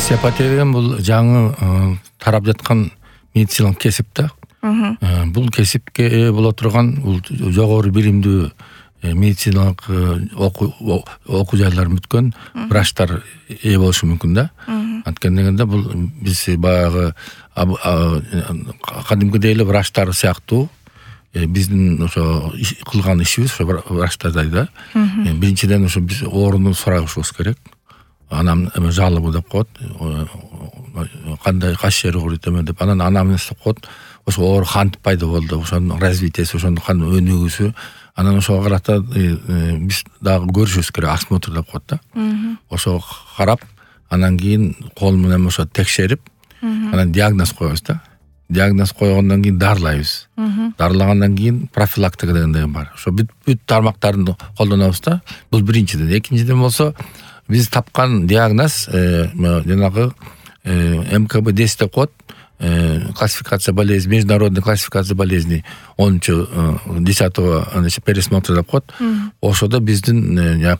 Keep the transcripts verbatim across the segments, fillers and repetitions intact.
Остеопатия деген бул жаңы тарап жаткан медициналык кесип да. Бул кесипке ээ боло турган бул жогору биримдүү медициналык окуу жайларын бүткөн врачтар ээ болушу мүмкүн да. Анткени дегенде бул биз баягы кадимкидей эле врачтар сыяктуу биздин ошо кылган ишибиз ошо врачтардай да. Биринчиден ошо биз ооруну сурашыбыз керек. Анам эме жалобы деп коет. Кандай кайсы жери ооруйт эме деп анан анамнес деп коет. Ошо оору кантип пайда болду, ошонун развитиеси, ошонун кандай өнүгүүсү. Анан ошого карата биз дагы көрүшүбүз керек, осмотр деп коет да. Ошого карап, анан кийин кол менен ошо текшерип, анан диагноз коебуз да. Диагноз койгондон кийин дарылайбыз. Дарылагандан кийин профилактика деген бар. Ошо бүт тармактарды колдонобуз да. Бул биринчиден. Экинчиден болсо биз тапкан диагноз жанагы эм ка бэ десять деп коет. Классификация болезней, международная классификация болезней онунчу десятого пересмотр деп коет. Ошодо биздин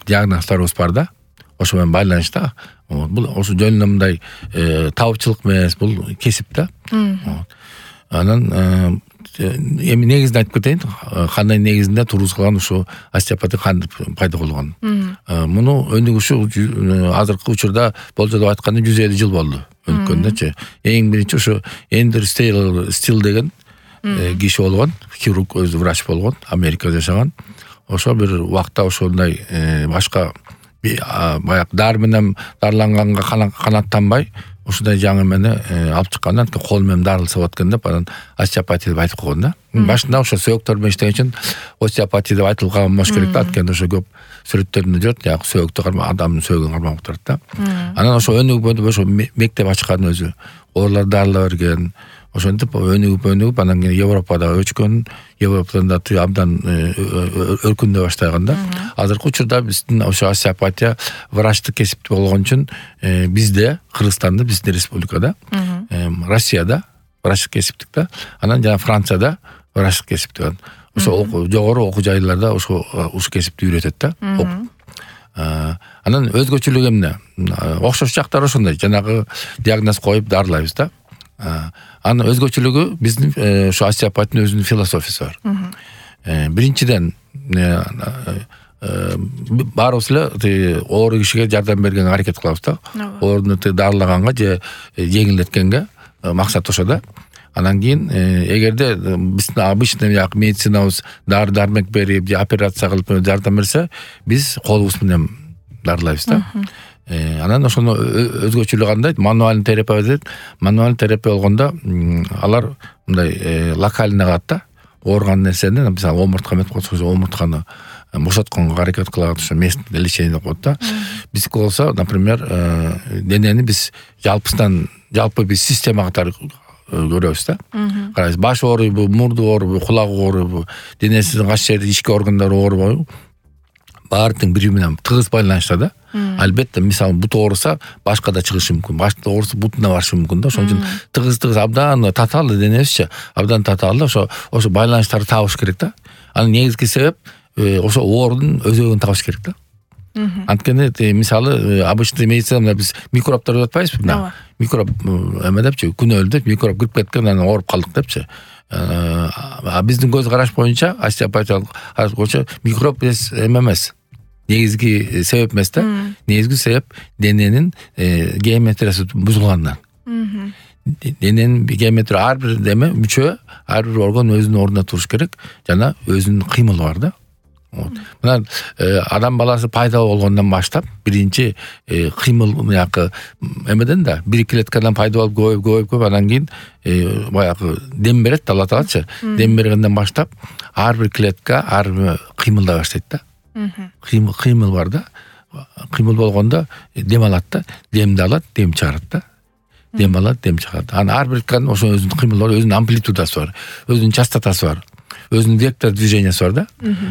диагноздарыбыз бар да. Ошо менен байланышта. Бул ошо жөн эле мындай табычылык эмес, бул кесип да. Анан эми негизин айтып кетейин, кандай негизинде тургузулган ушу остеопатия кантип пайда болгон. Муну өнүгүшү азыркы учурда болжолоп айтканда жүз элүү жыл болду өнүккөндөчү. Эң биринчи ошо Эндер Стил деген киши болгон, хирург, өзү врач болгон, Америкада жашаган. Ошо бир убакта ошондой башка баягы дары менен дарыланганга канаттанбай, ушундай жаңы эмени алып чыккандан кийин кол менен дарылса болот экен деп анан остеопатия деп айтып койгон да. Башында ошо сөөктөр менен иштеген үчүн остеопатия деп айтылып калган болуш керек да. Анткени ошо көп сүрөттөрүндө жүрөт, яг сөөктү кармап, адамдын сөөгүн кармап турат да. Анан ошо өнүгүп ошо мектеп ачкан өзү, оорулар дарыла берген. Ошентип өнүгүп өнүгүп анан кийин Европада өчкөн, Европадан да абдан өркүндөй баштаган да. Азыркы учурда биздин ошо остеопатия врачтык кесип болгон үчүн бизде, Кыргызстанда, биздин республикада, Россияда врачтык кесиптик да. Анан жана Францияда врачтык кесиптик. Ошо жогору окуу жайларда ошо ушул кесипти үйрөтөт да. Анан өзгөчөлүгү эмне? Окшош жактары ошондой, жанагы диагноз коюп дарылайбыз да. Анын өзгөчөлүгү биздин ошо остеопатиянын өзүнүн философиясы бар. Биринчиден баарыбыз эле оору кишиге жардам берген аракет кылабыз да. Ооруну дарылаганга же жеңилдеткенге максат ошо да. Анан кийин эгерде биздин обычный медицинабыз дары дармек берип же операция кылып жардам берсе, биз колубуз менен дарылайбыз да. Анан ошону өзгөчөлүгү кандай? Мануальный терапия дейт. Мануальный терапия болгондо алар мындай локально калат да. Ооруган нерсени, мисалы омуртка мет койсо, омуртканы бошотконго аракет кылат, ошо местное лечение деп коет да. Биздики болсо, например, денени биз жалпысынан, жалпы биз система катары көрөбүз да. Карайбыз, баш ооруйбу, мурду ооруйбу, кулак ооруйбу, денесинин кайсы жерде ички органдары оорубайбы, баардыгы бири менен тыгыз байланышта да. Албетте, мисалы бут ооруса, башка да чыгышы мүмкүн. Башка ооруса бутуна барышы мүмкүн да. Ошон үчүн тыгыз-тыгыз абдан татаалы денесичи, абдан татаалы ошо ошо байланыштарды табыш керек да. Анын негизги себеп ошо оорунун өзөгүн табыш керек да. Анткени мисалы обычный медицинада биз микробтор деп атпайбызбы? Мына микроб эме депчи, күнөөлүү деп микроб кирип кеткен, анан ооруп калдык депчи. А биздин көз караш боюнча, остеопатиялык караш боюнча микроб эме эмес. Негизги себеп эмес да. Негизги себеп дененин геометриясы бузулгандан. Дененин геометрия ар бир деме мүчө, ар бир орган өзүнүн ордуна туруш керек, жана өзүнүн кыймылы бар да. Мына адам баласы пайда болгондон баштап биринчи кыймыл мыякы эмеден да бир клеткадан пайда болуп көбөйүп көбөйүп көбөйүп анан кийин баягы дем берет Алла Таалачы. Дем бергенден баштап ар бир клетка ар бир кыймылдай баштайт да. Кыймыл кыймыл бар да. Кыймыл болгондо дем алат да, демди алат, дем чыгарат да. Дем алат, дем чыгарат. Анан ар бир ошо өзүнүн кыймылы бар, өзүнүн амплитудасы бар, өзүнүн частотасы бар, өзүнүн вектор движениясы бар да.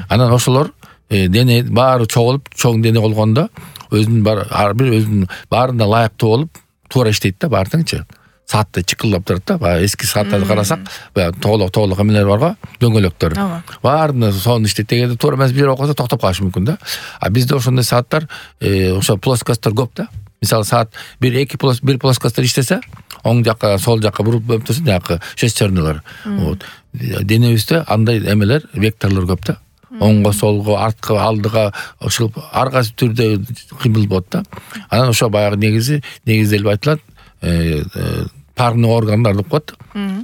Анан ошолор дене баары чогулуп, чоң дене болгондо өзүнүн бар ар бир өзүнүн баарына ылайыктуу болуп туура иштейт да, баардыгынчы. Саатта чыкылдап турат да. Баягы эски сааттарды карасак, баягы тоголок тоголок эмелер барго, дөңгөлөктөр. Баарына сонун иштейт. Эгерде туура эмес бир окуса токтоп калышы мүмкүн да. А бизде ошондой сааттар, ошо плоскосттор көп да. мисалы саат бир эки бир плоскостьтер иштесе, оң жакка сол жакка буруп өптөсүн жакы шестернелер. Вот. Денебизде андай эмелер, векторлор көп да. Оңго, солго, арткы, алдыга ушул ар кайсы түрдө кыймыл болот да. Анан ошо баягы негизи негизделип айтылат, парный органдар деп коет.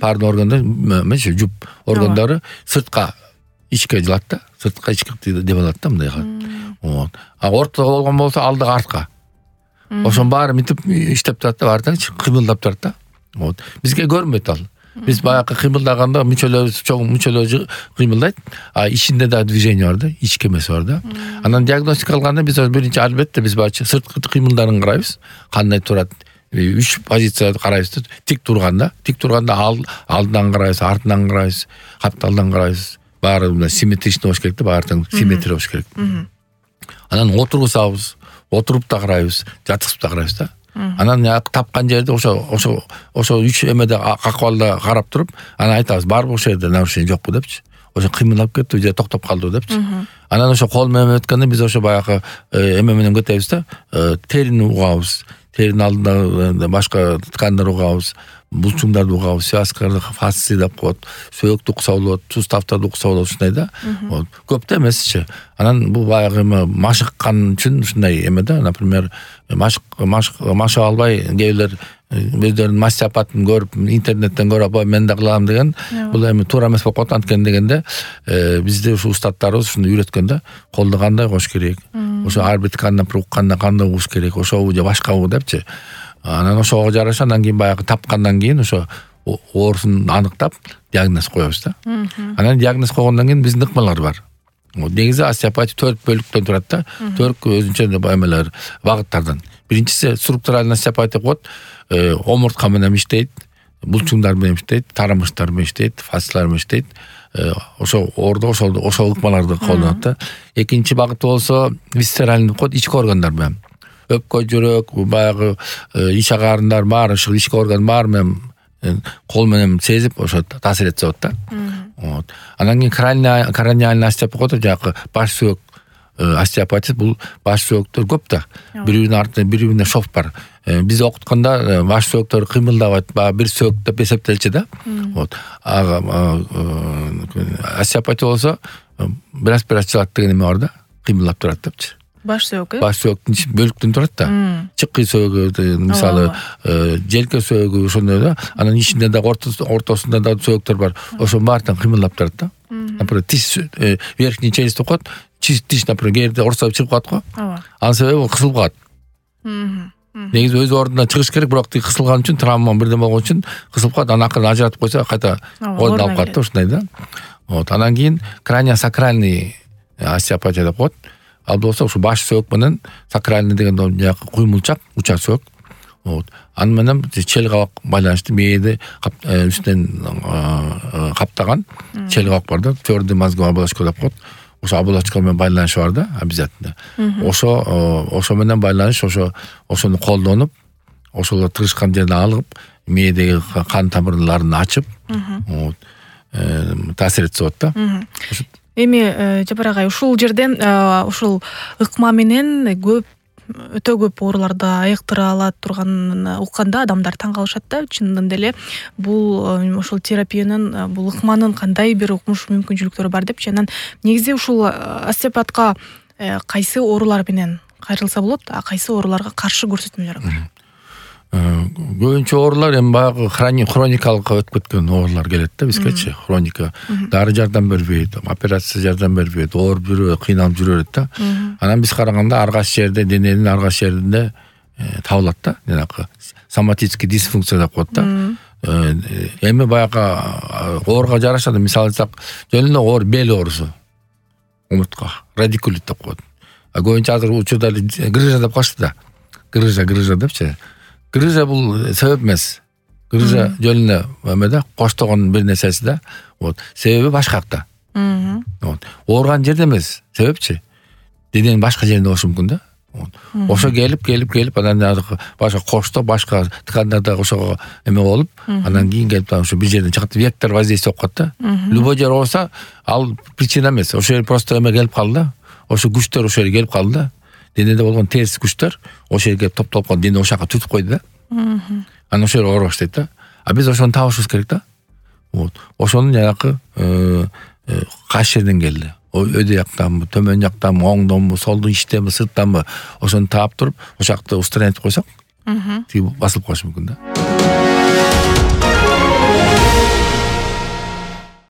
Парный органдар эмес, жуп органдары сыртка ичке жылат да. Сыртка ичке деп алат да мындай. Вот. А ортодо болгон болсо алдыга артка. Ошонун баары мынтип иштеп турат да, баары кыймылдап турат да. Вот. Бизге көрмөйт ал. Биз баягы кыймылдаганда мүчөлөрүбүз чоң мүчөлөр кыймылдайт, а ичинде да движение бар да, ички эмес бар да. Анан диагностика алганда биз биринчи албетте биз баягы сырткы кыймылдарын карайбыз, кандай турат. Үч позицияда карайбыз. Тик турганда, тик турганда алдынан карайбыз, артынан карайбыз, капталдан карайбыз. Баары мына симметричный болуш керек да, баары симметрия болуш керек. Анан отургузабыз, отуруп да карайбыз, жаткызып да карайбыз да. Анан тапкан жерде ошо ошо ошо үч эмеде акыбалда карап туруп, анан айтабыз, барбы ошол жерде нарушение жокпу депчи. Ошо кыймылдап кетти же токтоп калдыбы депчи. Анан ошо кол менен өткөндө биз ошо баягы эме менен кетебиз да, терини угабыз. Теринин алдында башка ткандар угабыз, булчуңдарды угабыз, связкаларды, фасции деп коет, сөөктү укса болот, суставтарды укса болот, ушундай да. Көп да эмесчи. Анан бул баягы машыккан үчүн ушундай эме да, например, машык машык албай кээбилер өздөрүнүн мастеопатын көрүп, интернеттен көрүп, мен да кылам деген, бул эми туура эмес болуп калат. Анткени дегенде, бизде ушу устаттарыбыз ушуну үйрөткөн да, колду кандай кош керек, ошо ар бир ткандан укканда кандай угуш керек, ошобу же башкабы депчи. Анан ошого жараша андан кийин баягы тапкандан кийин ошо оорусун аныктап диагноз коебуз да. Анан диагноз койгондон кийин биздин ыкмалар бар. Негизи остеопатия төрт бөлүктөн турат да. Төрт өзүнчө эмелер, багыттардан. Биринчиси структуралдык остеопатия коет, омуртка менен иштейт, булчуңдар менен иштейт, тарамыштар менен иштейт, фасциялар менен иштейт. Ошо ордо ошол ошол ыкмаларды колдонот да. Экинчи багыты болсо висцеральный коет, ички органдар менен. Өпкө, жүрөк, баягы ич агарындар баары, ушул ички орган баары менен кол менен сезип ошо таасир этсе болот да. Вот. Анан кийин краниальный краниальный остеопатия, жакы баш сөөк остеопатия, бул баш сөөктөр көп да. Биринин артынан бири-бирине шов бар. Биз окутканда баш сөөктөр кыймылдабайт, баягы бир сөөк деп эсептелчү да. Вот. Остеопатия болсо бираз бираз чылат деген эме бар да, кыймылдап турат депчи. Баш сөөк, баш сөөктүн бөлүктөн турат да. Чыккы сөөгү, мисалы, желке сөөгү ошондой да. Анан ичинде да ортосунда да сөөктөр бар. Ошонун баардыгын кыймылдап турат да. Например, тиш, верхний челюсть деп коет. Тиш, например, кээде орусап чыгып калат го. Анын себеби кысылып калат. Негизи өз ордуна чыгыш керек, бирок тиги кысылган үчүн, травма бирден болгон үчүн кысылып калат. Анан акырын ажыратып койсо кайта ордуна алып калат да, ушундай да. Вот. Анан кийин краниосакральный остеопатия деп коет. Ал болсо ушу баш сөөк менен сакральный деген жакы куймулчак, уча сөөк. Вот. Аны менен чел кабак байланыштуу, мээди үстүнөн каптаган чел кабак бар да, твёрдый мозговая оболочка деп коет. Ошо оболочка менен байланышы бар да, обязательно. Ошо ошо менен байланыш, ошо ошону колдонуп, ошол тырышкан жерден алып, мээдеги кан тамырларын ачып, вот, таасир этсе болот да. Эми Жапар агай, ушул жерден ушул ыкма менен көп өтө көп ооруларды айыктыра алат турганын укканда адамдар таң калышат да. Чындын деле бул ушул терапиянын, бул ыкманын кандай бир укмуш мүмкүнчүлүктөрү бар депчи. Анан негизи ушул остеопатка кайсы оорулар менен кайрылса болот, а кайсы ооруларга каршы көрсөтмөлөр бар? Көбүнчө оорулар эми баягы хроникалык өтүп кеткен оорулар келет да бизгечи. Хроника. Дары жардам бербейт, операция жардам бербейт, оор жүрөт, кыйналып жүрөт да. Анан биз караганда ар кайсы жерде, дененин ар кайсы жеринде табылат да. Жанагы соматический дисфункция деп коет да. Эми баягы ооруга жараша, мисалы айтсак, жөн эле оор бел оорусу. Омуртка, радикулит деп коет. А көбүнчө азыр учурда грыжа деп коет да. Грыжа, грыжа депчи. Грыжа бул себеп эмес. Грыжа жөн эле эмеде коштогон бир нерсеси да. Вот. Себеби башкакта. Вот. Ооруган жерде эмес. Себепчи? Дененин башка жеринде болушу мүмкүн да. Вот. Ошо келип, келип, келип, анан башка кошто, башка ткандарда ошого эме болуп, анан кийин келип ошо бир жерден чыгат, вектор воздействие болуп калат да. Любой жер болсо, ал причина эмес. Ошо жер просто эме келип калды да. Ошо күчтөр ошо жерге келип калды да. денеде болгон терс күчтөр ошол жерге топтолуп калып дене ошол жака түртүп койду да. Анан ошол жер ооруп баштайт да. А биз ошону табышыбыз керек да. Вот. Ошонун жанакы кайсы жерден келди? Өйдө жактанбы, төмөн жактанбы, оңдонбу, солдун ичтенби, сырттанбы ошону таап туруп, ошол жакты устранить койсок, тиги басылып калышы мүмкүн да.